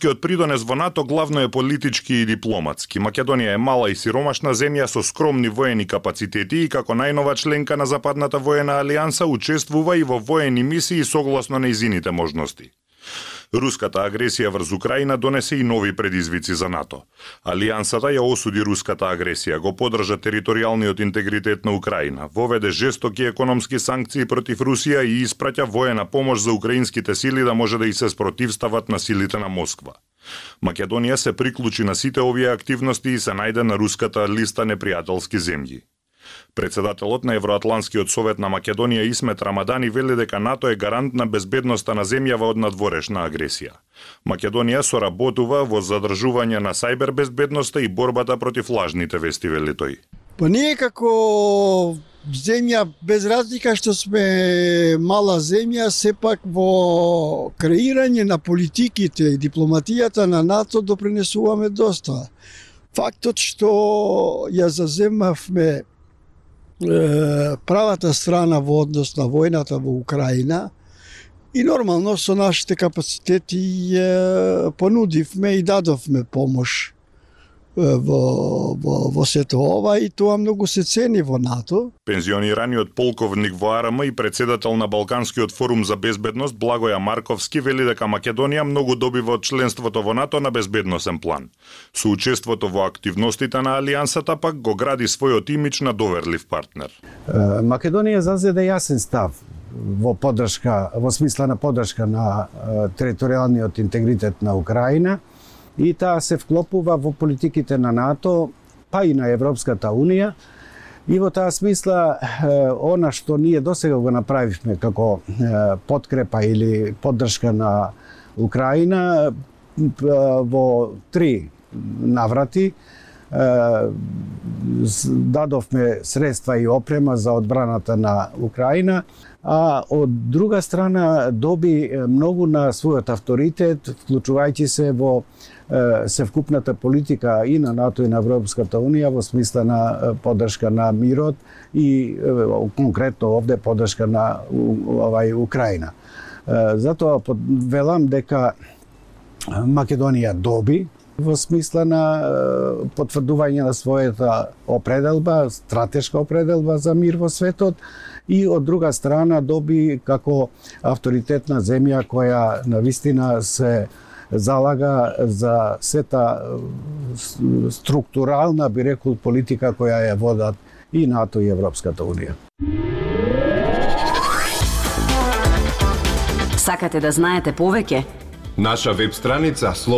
Македонскиот придонес во НАТО главно е политички и дипломатски. Македонија е мала и сиромашна земја со скромни воени капацитети и како најнова членка на Западната воена алијанса учествува и во воени мисии согласно нејзините можности. Руската агресија врз Украина донесе и нови предизвици за НАТО. Алијансата ја осуди руската агресија, го поддржа територијалниот интегритет на Украина, воведе жестоки економски санкции против Русија и испраќа воена помош за украинските сили да може да и се спротивстават на силите на Москва. Македонија се приклучи на сите овие активности и се најде на руската листа непријателски земји. Председателот на Евроатланскиот совет на Македонија Исмет Рамадани вели дека НАТО е гарант на безбедноста на земјава од надворешна агресија. Македонија соработува во задржување на сајбер безбедноста и борбата против лажните вести, вели тој. Па ние како земја, без разлика што сме мала земја, сепак во креирање на политиките и дипломатијата на НАТО допринесуваме доста. Фактот што ја заземавме правата страна во однос на војната во Украина и нормално со нашите капацитети понудивме и дадовме помош во сето ова и тоа многу се цени во НАТО. Пензионираниот полковник во АРМ и председател на Балканскиот форум за безбедност Благоја Марковски вели дека Македонија многу добива од членството во НАТО на безбедносен план. Со учеството во активностите на алијансата пак го гради својот имидж на доверлив партнер. Македонија зазеде јасен став во поддршка, во смисла на поддршка на територијалниот интегритет на Украина и таа се вклопува во политиките на НАТО, па и на Европската Унија. И во таа смисла, она што ние досега го направивме како подкрепа или поддршка на Украина во 3 наврати, дадовме средства и опрема за одбраната на Украина, а од друга страна доби многу на својот авторитет, вклучувајќи се во севкупната политика и на НАТО и на Европската Унија во смисла на поддршка на мирот и конкретно овде поддршка на Украина. Затоа велам дека Македонија доби во смисла на потврдување на својата определба, стратешка определба за мир во светот и од друга страна доби како авторитетна земја која навистина се залага за сета структурална, би рекол, политика која ја водат и НАТО и Европската Унија. Сакате да знаете повеќе? Наша веб страница